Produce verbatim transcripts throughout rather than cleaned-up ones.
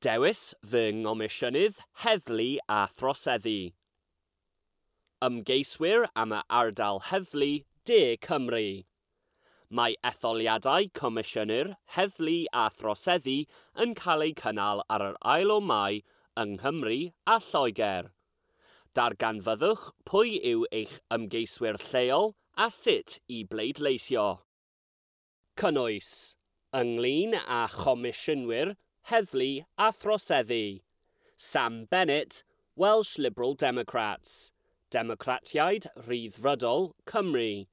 Dewis fy Ngomisiynydd Heddlu a Throseddu. Ymgeiswyr am y ardal heddlu De Cymru. Mae etholiadau Comisiynwyr Heddlu a Throseddu yn cael eu cynnal ar yr ail o Mai yng Nghymru a Lloegr. Darganfyddwch pwy yw eich ymgeiswyr lleol a sut i bleidleisio. Cynnwys ynglyn â Chomisiynwyr Heddlu a Throseddu. Sam Bennett, Welsh Liberal Democrats, Democratiaid Rhyddfrydol Cymru.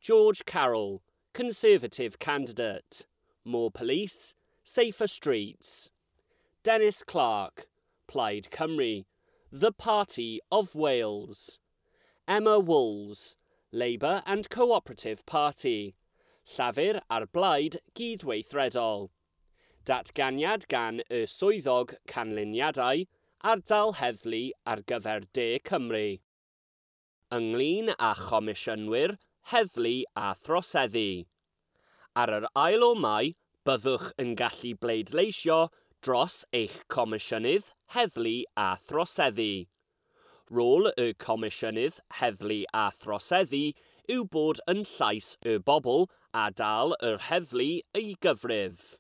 George Carroll, Conservative candidate. More police, safer streets. Dennis Clark, Plaid Cymru, The Party of Wales. Emma Wools, Labour and Cooperative Party, Llafur a'r Blaid Gydweithredol. Datganiad gan y Swyddog Canlyniadau, Ardal Heddlu ar gyfer De Cymru. Ynglyn â Chomisiynwyr Heddlu a Throseddu. Ar yr ail o Mai, byddwch yn gallu bleidleisio dros eich Comisiynydd Heddlu a Throseddu. Rôl y Comisiynydd Heddlu a Throseddu yw bod yn llais y bobl a dal yr heddlu i gyfrif.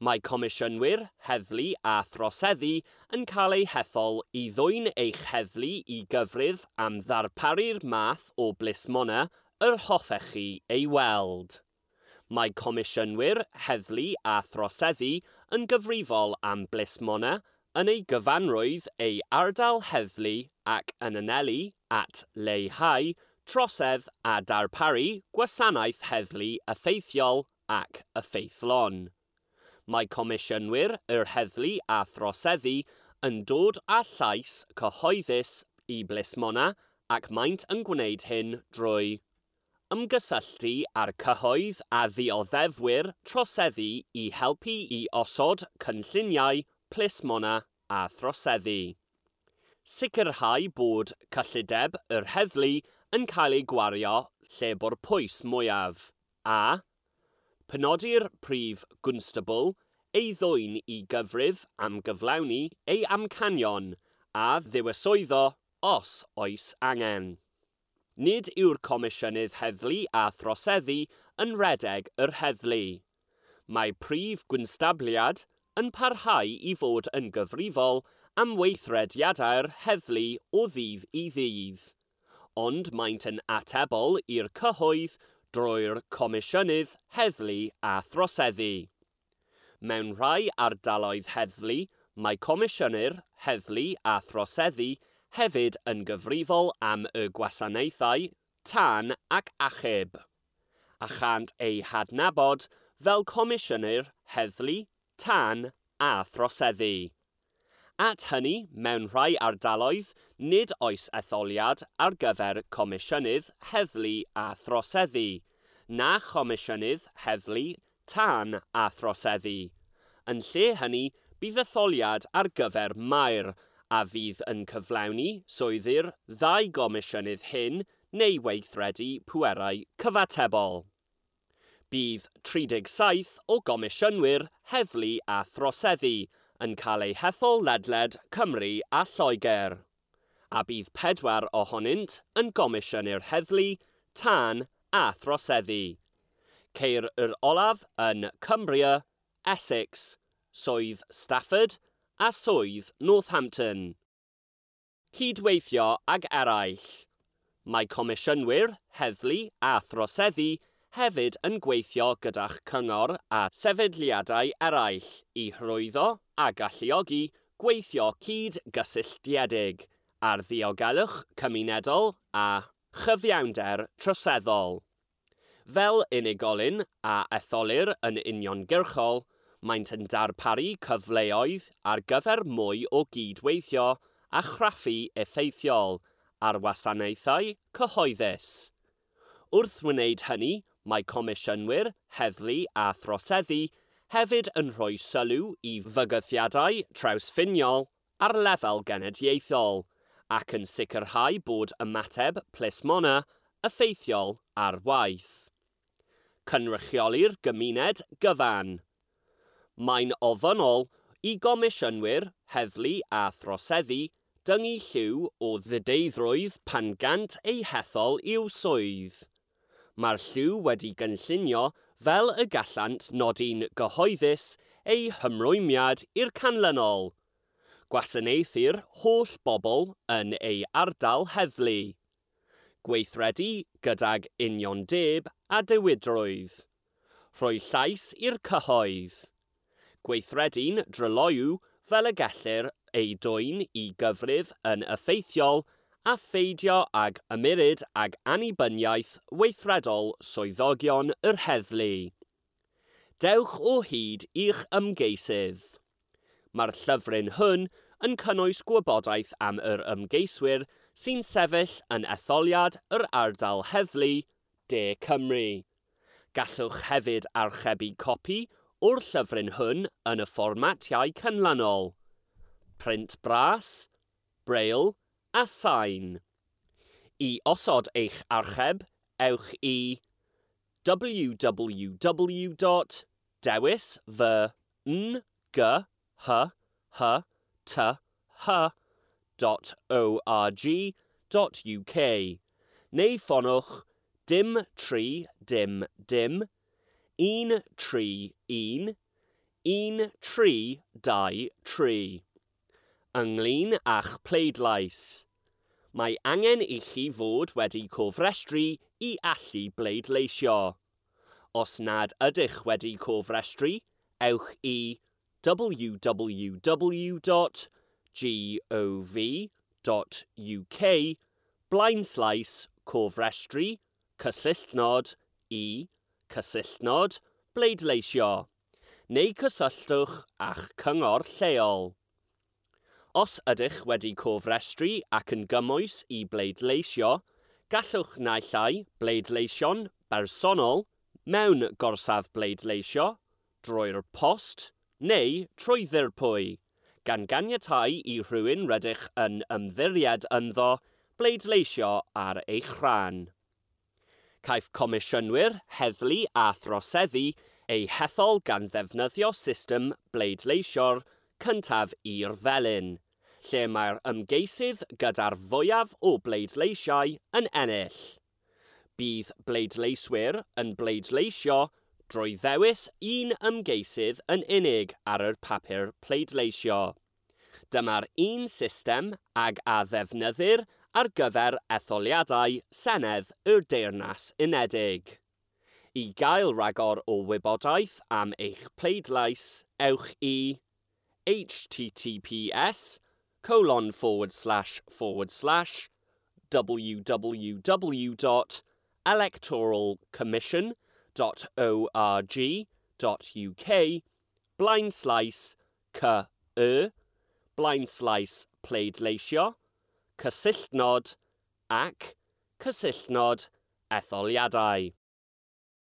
Mae Comisiynwyr Heddlu a Throseddu yn cael eu hethol i ddwyn eich heddlu i gyfrif am ddarparu'r math o blismona yr hoffech chi ei weld. Mae Comisiynwyr Heddlu a Throseddu yn gyfrifol am blismona yn ei gyfanrwydd ei ardal heddlu ac yn anelu at leihau trosedd a darparu gwasanaeth heddlu effeithiol ac effeithlon. Mae Comisiynwyr yr Heddlu a Throseddu yn dod â llais cyhoeddus i blismona ac maent yn gwneud hyn drwy ymgysylltu â'r cyhoedd a ddioddefwyr troseddu i helpu i osod cynlluniau plismona a throseddu. Sicrhau bod cyllideb yr heddlu yn cael ei gwario lle bo'r pwys mwyaf, a penodi'r prif gwnstabl ei ddwyn i gyfrif am gyflawni ei amcanion a ddiwyswyddo os oes angen. Nid yw'r Comisiynydd Heddlu a Throseddu yn rhedeg yr heddlu. Mae prif gwnstabliad yn parhau i fod yn gyfrifol am weithrediadau'r heddlu o ddydd i ddydd, ond maent yn atebol i'r cyhoedd drwy'r Comisiynydd Heddlu a Throseddu. Mewn rhai ardaloedd heddlu, mae Comisiynwyr Heddlu a Throseddu hefyd yn gyfrifol am y gwasanaethau tân ac achub, a chant eu hadnabod fel Comisiynwyr Heddlu, Tân a Throseddu. At hynny, mewn rhai ardaloedd, nid oes etholiad ar gyfer Comisiynydd Heddlu a Throseddu, na Chomisiynydd Heddlu, Tân a Throseddu. Yn lle hynny, bydd etholiad ar gyfer maer, a fydd yn cyflawni swyddi'r ddau gomisiynydd hyn neu weithredu pwerau cyfatebol. Bydd tri deg saith o gomisiynwyr heddlu a throseddu yn cael eu hethol ledled Cymru a Lloegr, a bydd pedwar ohonynt yn gomisiynwyr heddlu, tân a throseddu. Ceir yr olaf yn Cumbria, Essex, Swydd Stafford a Swydd Northampton. Cydweithio ag eraill. Mae Comisiynwyr Heddlu a Throseddu hefyd yn gweithio gyda'ch cyngor a sefydliadau eraill i hyrwyddo a galluogi gweithio cyd-gysylltiedig ar ddiogelwch cymunedol a chyfiawnder troseddol. Fel unigolyn a etholir yn uniongyrchol, maent yn darparu cyfleoedd ar gyfer mwy o gydweithio a chraffu effeithiol ar wasanaethau cyhoeddus. Wrth wneud hynny, mae Comisiynwyr Heddlu a Throseddu hefyd yn rhoi sylw i fygythiadau trawsffiniol ar lefel genedlaethol ac yn sicrhau bod ymateb plismona effeithiol ar waith. Cynrychioli'r gymuned gyfan. Mae'n ofynnol i gomisiynwyr, heddlu a throseddu dyngu lliw o ddideiddrwydd pan gant eu hethol i'w swydd. Mae'r lliw wedi gynllunio fel y gallant nodi'n gyhoeddus eu hymrwymiad i'r canlynol. Gwasanaethu'r holl bobl yn ei ardal heddlu. Gweithredu gydag uniondeb a diwydrwydd. Rhoi llais i'r cyhoedd. Gweithredu'n dryloyw fel y gellir ei dwyn i gyfrif yn effeithiol a pheidio ag ymyrryd ag annibyniaeth weithredol swyddogion yr heddlu. Dewch o hyd i'ch ymgeisydd. Mae'r llyfryn hwn yn cynnwys gwybodaeth am yr ymgeiswyr sy'n sefyll yn etholiad yr ardal heddlu De Cymru. Gallwch hefyd archebu copi o'r llyfryn hwn yn y fformatiau canlynol: print bras, braille a sain. I osod eich archeb, ewch i w w w dot dewis fy n g h h t h dot org dot u k neu ffonwch dim tri dim dim un tri un un tri dau tri. Ynglyn â'ch pleidlais. Mae angen i chi fod wedi cofrestru i allu bleidleisio. Os nad ydych wedi cofrestru, ewch i w w w dot gov dot u k blaenslaes cofrestru cysylltnod i cysylltnod bleidleisio neu cysylltwch â'ch cyngor lleol. Os ydych wedi cofrestru ac yn gymwys i bleidleisio, gallwch naill ai bleidleisio'n bersonol mewn gorsaf bleidleisio, drwy'r post neu trwy ddirprwy, gan ganiatáu i rhywun rydych yn ymddiried ynddo bleidleisio ar eich rhan. Caiff comisiynwyr, heddlu a throseddu eu hethol gan ddefnyddio system bleidleisio'r cyntaf i'r felin, lle mae'r ymgeisydd gyda'r fwyaf o bleidleisiau yn ennill. Bydd bleidleiswyr yn bleidleisio drwy ddewis un ymgeisydd yn unig ar yr papur pleidleisio. Dyma'r un system ag a ddefnyddir ar gyfer etholiadau Senedd y Deyrnas Unedig. I gael rhagor o wybodaeth am eich pleidlais, ewch i h t t p s colon forward slash forward slash w w w dot electoral commission dot org dot u k blaenslaes c y blaenslaes pleidleisio cysylltnod ac cysylltnod etholiadau.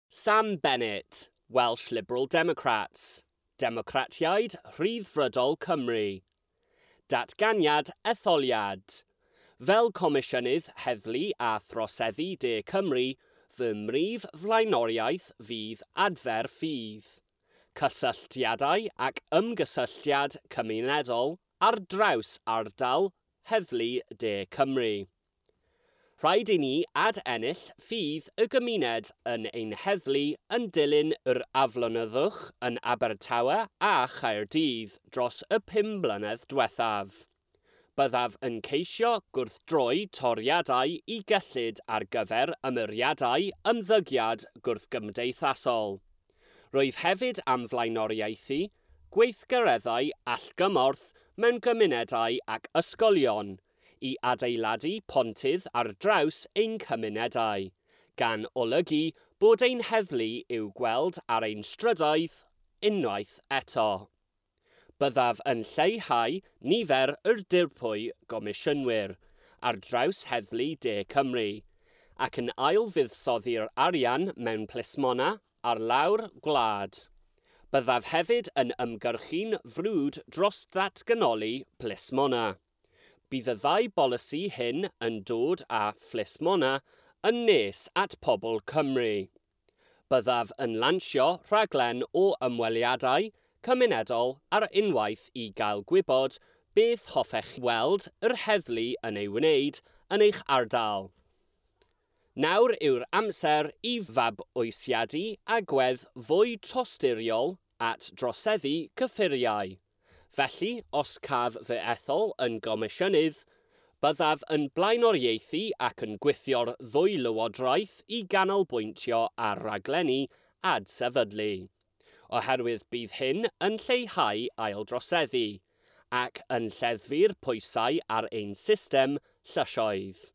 Sam Bennett, Welsh Liberal Democrats, Democratiaid Rhyddfrydol Cymru. Datganiad etholiad. Fel Comisiynydd Heddlu a Throseddu De Cymru, fy mhrif flaenoriaeth fydd adfer ffydd, cysylltiadau ac ymgysylltiad cymunedol ar draws ardal Heddlu De Cymru. Rhaid i ni ad-ennill ffydd y gymuned yn ein heddlu yn dilyn yr aflonyddwch yn Abertawe a Chaerdydd dros y pum mlynedd diwethaf. Byddaf yn ceisio gwrthdroi toriadau i gyllid ar gyfer ymyriadau ymddygiad gwrthgymdeithasol. Rwyf hefyd am flaenoriaethu gweithgareddau allgymorth mewn gymunedau ac ysgolion i adeiladu pontydd ar draws ein cymunedau, gan olygu bod ein heddlu i'w gweld ar ein strydoedd unwaith eto. Byddaf yn lleihau nifer yr dirprwy gomisiynwyr ar draws Heddlu De Cymru ac yn ail-fuddsoddi'r arian mewn plismona ar lawr gwlad. Byddaf hefyd yn ymgyrchu'n frwd dros ddatganoli plismona. Bydd y ddau bolisi hyn yn dod â phlismona yn nes at pobl Cymru. Byddaf yn lansio rhaglen o ymweliadau, cymunedol ar unwaith i gael gwybod beth hoffech weld yr heddlu yn ei wneud yn eich ardal. Nawr yw'r amser i fabwysiadu agwedd fwy tosturiol at droseddu cyffuriau. Felly, os caf fy ethol yn gomisiynydd, byddaf yn blaenoriaethu ac yn gweithio'r ddwy lywodraeth i ganolbwyntio ar raglenni adsefydlu, oherwydd bydd hyn yn lleihau aildroseddu ac yn lleddfu'r pwysau ar ein system llysoedd.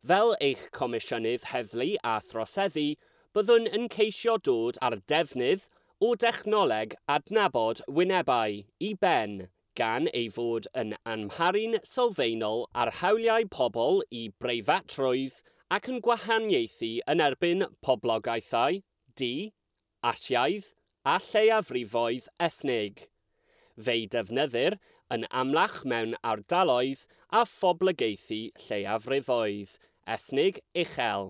Fel eich Comisiynydd Heddlu a Throseddu, byddwn yn ceisio dod â'r defnydd o dechnoleg adnabod wynebau i ben, gan ei fod yn amharu'n sylfaenol ar hawliau pobl i breifatrwydd ac yn gwahaniaethu yn erbyn poblogaethau du, Asiaidd a lleiafrifoedd ethnig. Fe'i defnyddir yn amlach mewn ardaloedd a phoblogaethu lleiafrifoedd ethnig uchel,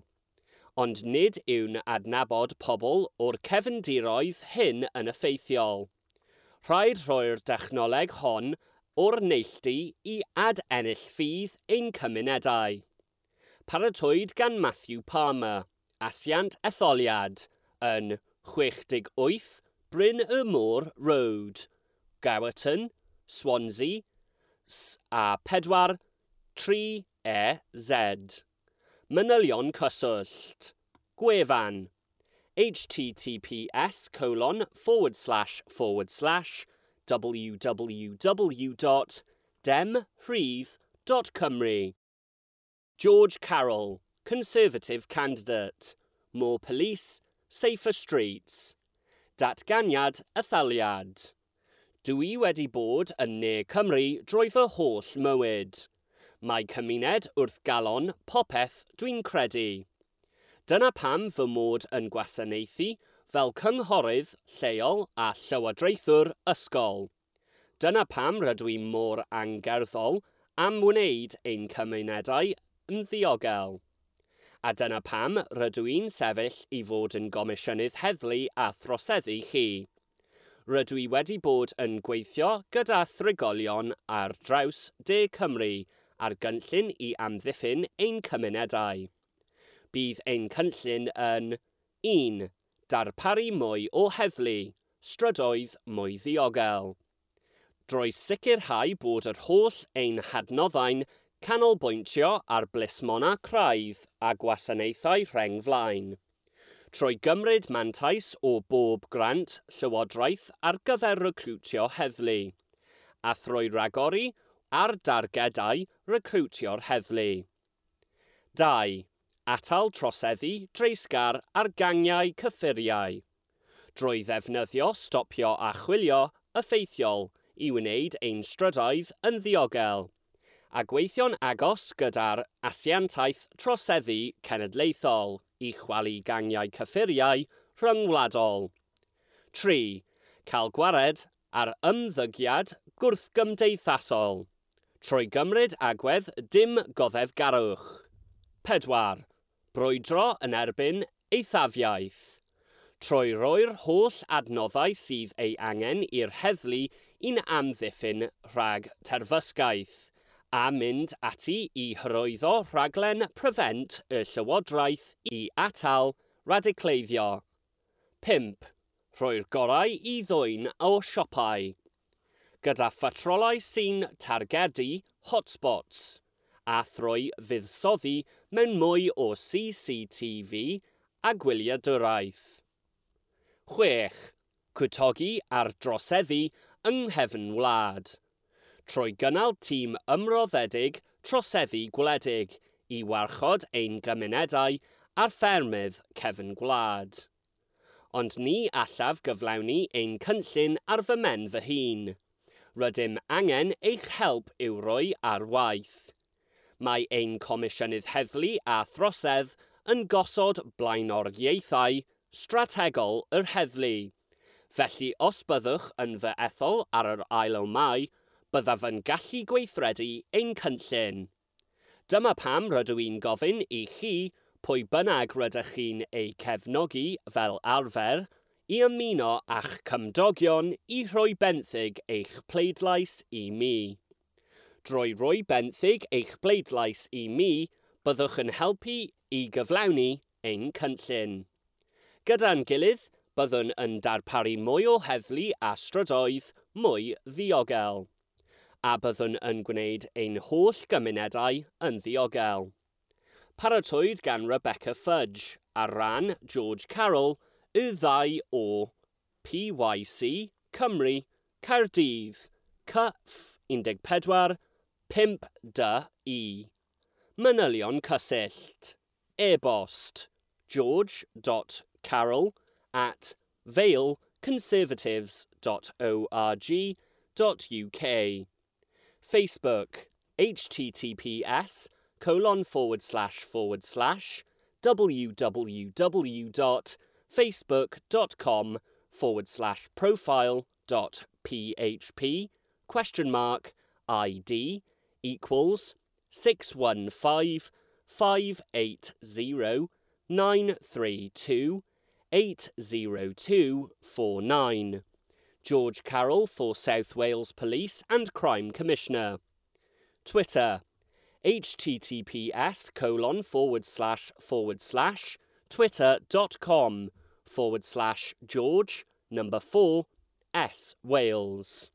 ond nid yw'n adnabod pobl o'r cefndiroedd hyn yn effeithiol. Rhaid rhoi'r dechnoleg hon o'r neilltu i ad-ennill ffydd ein cymunedau. Paratowyd gan Matthew Palmer, asiant etholiad, yn chwech deg wyth Bryn y Môr Road, Gowerton, Swansea, S A pedwar tri E Z. Manylion cyswllt. Gwefan https colon forward slash forward slash www dot demrhydd dot cymru. George Carroll, Conservative candidate. More police, safer streets. Datganiad etholiad. Dwi wedi bod yn Ne Cymru drwy fy holl mywyd. Mae cymuned wrth galon popeth dwi'n credu. Dyna pam fy mod yn gwasanaethu fel cynghorydd lleol a llywodraethwr ysgol. Dyna pam rydw i mor angerddol am wneud ein cymunedau yn ddiogel. A dyna pam rydw i'n sefyll i fod yn gomisiynydd heddlu a throseddu chi. Rydw i wedi bod yn gweithio gyda thrigolion ar draws De Cymru ar gynllun i amddiffyn ein cymunedau. Bydd ein cynllun yn un. Darparu mwy o heddlu, strydoedd mwy ddiogel. Drwy sicrhau bod yr holl ein hadnoddau'n canolbwyntio ar blismona craidd a gwasanaethau rheng flaen. Trwy gymryd mantais o bob grant llywodraeth ar gyfer recrwtio heddlu, a thrwy ragori ar dargedau recrwtio'r heddlu. dau. Atal troseddu dreisgar ar gangiau cyffuriau. Drwy ddefnyddio stopio a chwilio effeithiol i wneud ein strydoedd yn ddiogel, a gweithio'n agos gyda'r asiantaeth troseddu cenedlaethol i chwalu gangiau cyffuriau rhyngwladol. tri. Cael gwared ar ymddygiad gwrthgymdeithasol. Trwy gymryd agwedd dim goddefgarwch. pedwar. Brwydro yn erbyn eithafiaeth. Trwy roi'r holl adnoddau sydd ei angen i'r heddlu i'n amddiffyn rhag terfysgaeth, a mynd ati i hyrwyddo rhaglen Prevent y Llywodraeth i atal radicaleiddio. pump. Rhoi'r gorau i ddwyn o siopau. Gyda phatrolau sy'n targedu hotspots, a thrwy fuddsoddi mewn mwy o C C T V a gwyliadwraeth. chwech. Cwtogi ar droseddu yng nghefn wlad. Trwy gynnal tîm ymroddedig troseddu gwledig i warchod ein gymunedau a'r ffermydd cefn gwlad. Ond ni allaf gyflawni ein cynllun ar fy mhen fy hun. Rydym angen eich help i'w roi ar waith. Mae ein Comisiynydd Heddlu a Throsedd yn gosod blaenoriaethau strategol yr heddlu. Felly os byddwch yn fy ethol ar yr ail o Mai, byddaf yn gallu gweithredu ein cynllun. Dyma pam rydw i'n gofyn i chi, pwy bynnag rydych chi'n ei cefnogi fel arfer, i ymuno â'ch cymdogion i rhoi benthyg eich pleidlais i mi. Drwy roi benthyg eich pleidlais i mi, byddwch yn helpu i gyflawni ein cynllun. Gyda'n gilydd, byddwn yn darparu mwy o heddlu a strydoedd mwy ddiogel, a byddwn yn gwneud ein holl gymunedau yn ddiogel. Paratowyd gan Rebecca Fudge ar ran George Carroll, y ddau o P Y C Cymru, Caerdydd, C F un pedwar pump D E. Manylion cysyllt. E-bost george dot carroll at vale conservatives dot org dot U K. Facebook H T T P S colon forward slash forward slash w w w dot facebook dot com forward slash profile dot P H P question mark I D equals six one five five eight zero nine three two eight zero two four nine. George Carroll for South Wales Police and Crime Commissioner. Twitter H T T P S colon forward slash forward slash twitter dot com forward slash George number four S Wales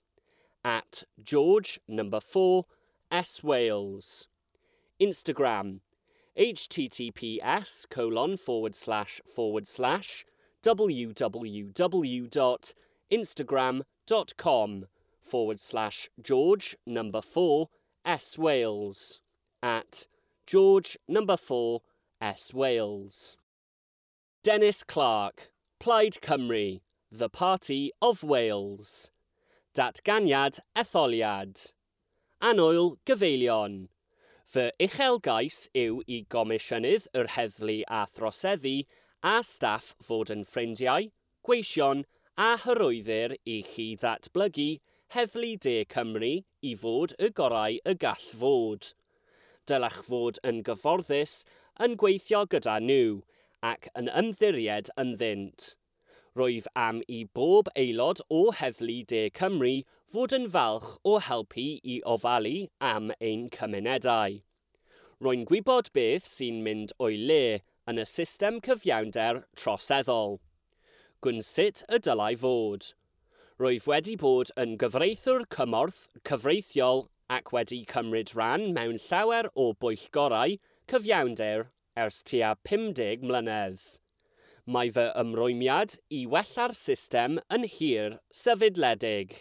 at George number four S Wales. Instagram H T T P S colon forward slash forward slash w w w dot instagram dot com forward slash George number four S Wales at George number four S Wales. Dennis Clark, Plaid Cymru, The Party of Wales. Datganiad etholiad. Annwyl gyfeillion. Fy uchelgais yw i Gomisiynydd yr Heddlu a Throseddu a staff fod yn ffrindiau, gweision a hyrwyddir i chi ddatblygu Heddlu De Cymru i fod y gorau y gall fod. Dylech fod yn gyfforddus yn gweithio gyda nhw ac yn ymddiried ynddynt. Rwyf am i bob aelod o Heddlu De Cymru fod yn falch o helpu i ofalu am ein cymunedau. Rwy'n gwybod beth sy'n mynd o'i le yn y system cyfiawnder troseddol. Gwn sut y dylai fod. Rwyf wedi bod yn gyfreithiwr cymorth cyfreithiol ac wedi cymryd rhan mewn llawer o bwyllgorau cyfiawnder ers tua pum deg mlynedd. Mae fy ymrwymiad i wella'r system yn hir sefydledig.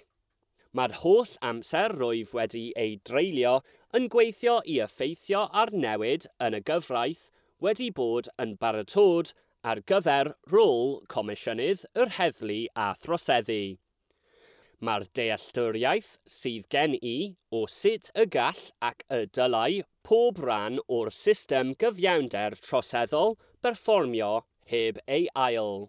Mae'r holl amser rwyf wedi ei dreulio yn gweithio i effeithio ar newid yn y gyfraith wedi bod yn baratod ar gyfer rôl Comisiynydd yr Heddlu a Throseddu. Mae'r dealltwriaeth sydd gen i o sut y gall ac y dylai pob rhan o'r system gyfiawnder troseddol berfformio heb ei ail.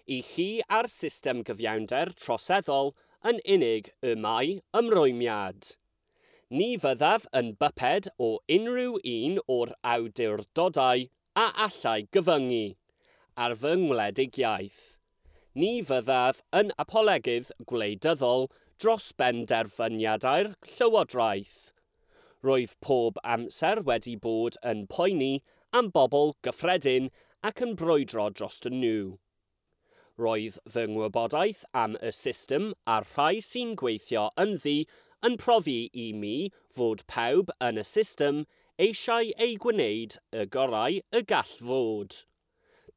I chi a'r system gyfiawnder troseddol yn unig y mae ymrwymiad. Ni fyddaf yn byped o unrhyw un o'r awdurdodau a allai gyfyngu ar fy ngwledigiaeth. Ni fyddaf yn apolegydd gwleidyddol dros benderfyniadau'r Llywodraeth. Rwyf pob amser wedi bod yn poeni am bobl gyffredin ac yn brwydro dros nhw. Roedd fy ngwybodaeth am y system a'r rhai sy'n gweithio ynddi yn profi i mi fod pawb yn y system eisiau ei gwneud y gorau y gall fod.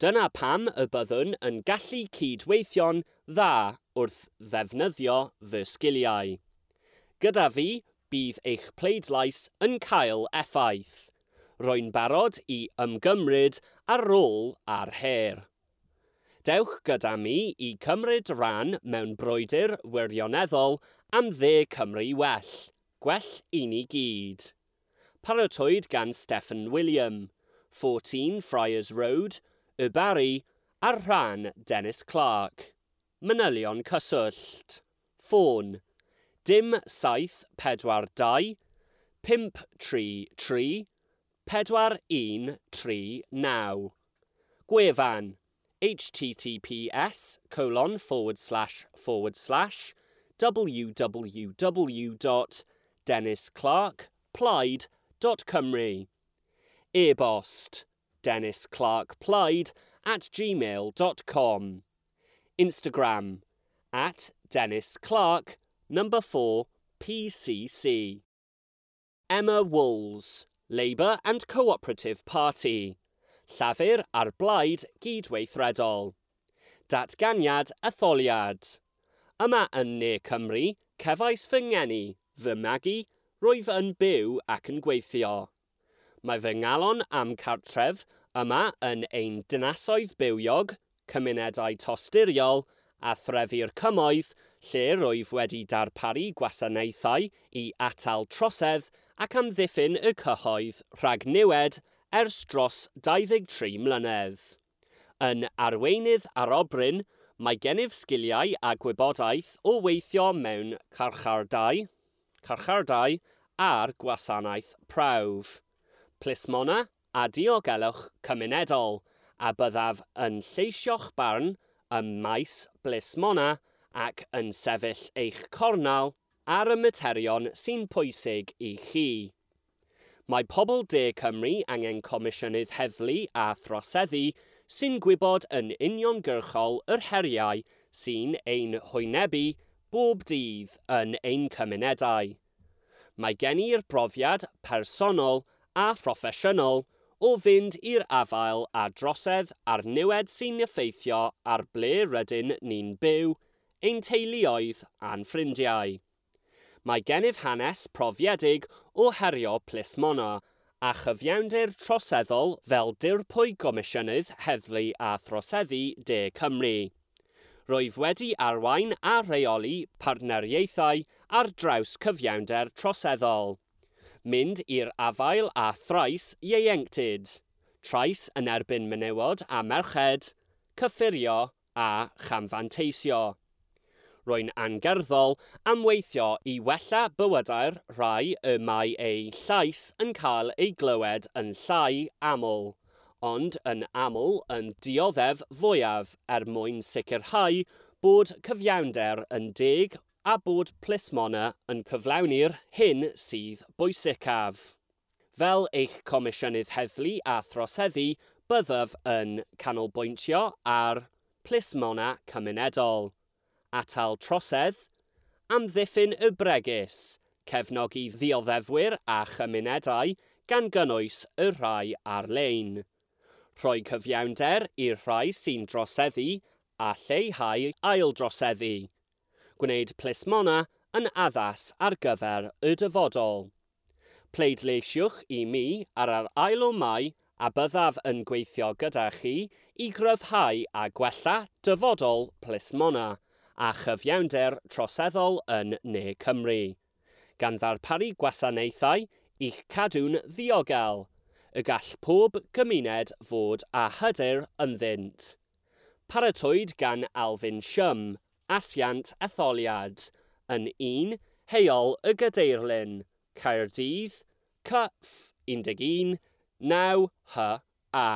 Dyna pam y byddwn yn gallu cydweithio'n dda wrth ddefnyddio fy sgiliau. Gyda fi, bydd eich pleidlais yn cael effaith. Rwy'n barod i ymgymryd ar rôl a'r her. Dewch gyda mi i cymryd rhan mewn brwydr wirioneddol am dde Cymru well. Gwell i ni gyd. Paratowyd gan Stephen William, fourteen Friars Road, Y Barri, ar rhan Dennis Clark. Manylion cyswllt. Ffôn. Dim saith pedwar dau, pump tri tri, pedwar un tri naw. Gwefan. H T T P S colon forward slash forward slash w w w dot dennis clark plaid dot cymru. E-bost dennis clark plaid at gmail dot com. Instagram at Dennis Clark number four P C C. Emma Wools, Labour and Cooperative Party. Llafur a'r Blaid Gydweithredol. Datganiad etholiad. Yma yn Ne Cymru, cefais fy ngeni, fy magu, rwyf yn byw ac yn gweithio. Mae fy ngalon am cartref yma yn ein dinasoedd bywiog, cymunedau tosturiol a threfi'r cymoedd lle rwyf wedi darparu gwasanaethau i atal trosedd ac amddiffyn y cyhoedd rhag niwed ers dros dau ddeg tri mlynedd. Yn arweinydd arobryn, mae gennyf sgiliau a gwybodaeth o weithio mewn carchardai, carchardai a'r gwasanaeth prawf, plismona a diogelwch cymunedol, a byddaf yn lleisio'ch barn ym maes blismona ac yn sefyll eich cornel ar y materion sy'n pwysig i chi. Mae pobl De Cymru angen Comisiynydd Heddlu a Throseddu sy'n gwybod yn uniongyrchol yr heriau sy'n ein hwynebu bob dydd yn ein cymunedau. Mae gen i'r brofiad personol a phroffesiynol o fynd i'r afael â drosedd a'r niwed sy'n effeithio ar ble rydyn ni'n byw, ein teuluoedd a'n ffrindiau. Mae gennyf hanes profiedig o herio plismona a chyfiawnder troseddol fel dirprwy Gomisiynydd Heddlu a Throseddu De Cymru. Rwyf wedi arwain a rheoli partneriaethau ar draws cyfiawnder troseddol. Mynd i'r afael â thrais ieuenctid, trais yn erbyn menywod a merched, cyffurio a chamfanteisio. Rwy'n angerddol am weithio i wella bywydau'r rhai y mae eu llais yn cael ei glywed yn llai aml, ond yn aml yn dioddef fwyaf er mwyn sicrhau bod cyfiawnder yn deg a bod plismona yn cyflawni'r hyn sydd bwysicaf. Fel eich Comisiynydd Heddlu a Throseddu, byddaf yn canolbwyntio ar plismona cymunedol, atal trosedd, amddiffyn y bregus, cefnogi ddioddefwyr a chymunedau gan gynnwys y rhai ar-lein, rhoi cyfiawnder i'r rhai sy'n droseddu a lleihau aildroseddu, gwneud plismona yn addas ar gyfer y dyfodol. Pleidleisiwch i mi ar yr ail o Mai a byddaf yn gweithio gyda chi i gryfhau a gwella dyfodol plismona a chyfiawnder troseddol yn Ne Cymru, gan ddarparu gwasanaethau i'ch cadw'n ddiogel, y gall pob gymuned fod â hyder ynddynt. Paratowyd gan Alvin Shum, Asiant Etholiad, yn un Heol y Gadeirlin, Caerdydd, C F un deg un, naw H A.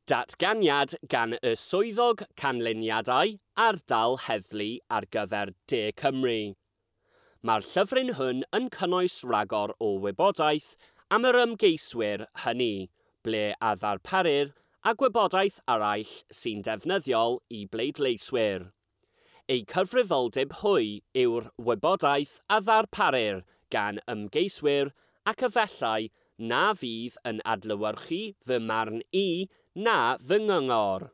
Datganiad gan y Swyddog Canlyniadau Ardal Heddlu ar gyfer De Cymru. Mae'r llyfryn hwn yn cynnwys rhagor o wybodaeth am yr ymgeiswyr hynny, ble a ddarparir a gwybodaeth arall sy'n defnyddiol i bleidleiswyr. Eu cyfrifoldeb hwy yw'r wybodaeth a ddarparir gan ymgeiswyr ac efallai na fydd yn adlewyrchu fy marn i na fy nghyngor.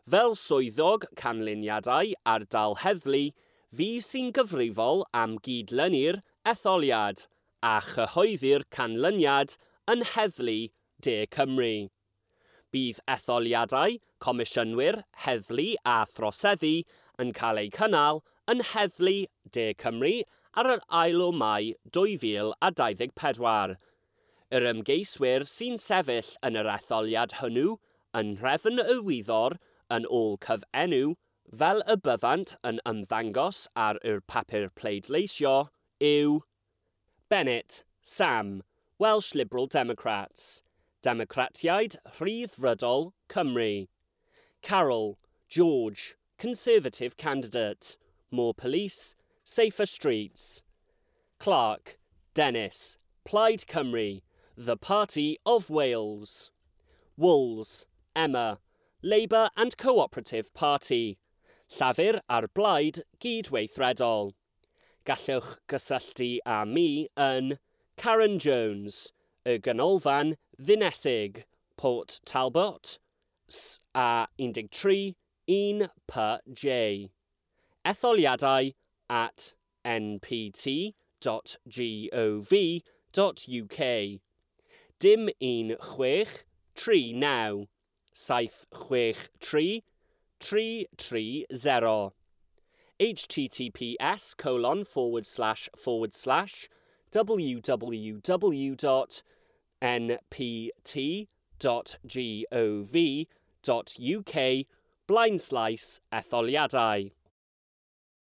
Fel swyddog canlyniadau ardal heddlu, fi sy'n gyfrifol am gydlynu'r etholiad a chyhoeddi'r canlyniad yn Heddlu De Cymru. Bydd etholiadau, comisiynwyr, heddlu a throseddu yn cael eu cynnal yn Heddlu De Cymru ar yr ail o Mai dwy fil a dau ddeg pedwar. Yr ymgeiswyr sy'n sefyll yn yr etholiad hwnnw yn nhrefn y wyddor yn ôl cyfenw fel y byddant yn ymddangos ar yr papur pleidleisio yw Bennett, Sam, Welsh Liberal Democrats, Democratiaid Rhyddfrydol Cymru. Carol, George, Conservative candidate, More Police, Safer Streets. Clark, Dennis, Plaid Cymru, The Party of Wales. Wools, Emma, Labour and Cooperative Party, Llafur a'r Blaid Gydweithredol. Gallwch gysylltu â mi yn Karen Jones, y Ganolfan Ddinesig, Port Talbot, S A un tri un P J. Etholiadau at n p t dot gov dot u k. Dim un chwech tri naw, saith chwech tri, tri tri zero. H T T P S colon forward slash forward slash w w w dot n p t dot g o v dot u k blind slash etholiadau.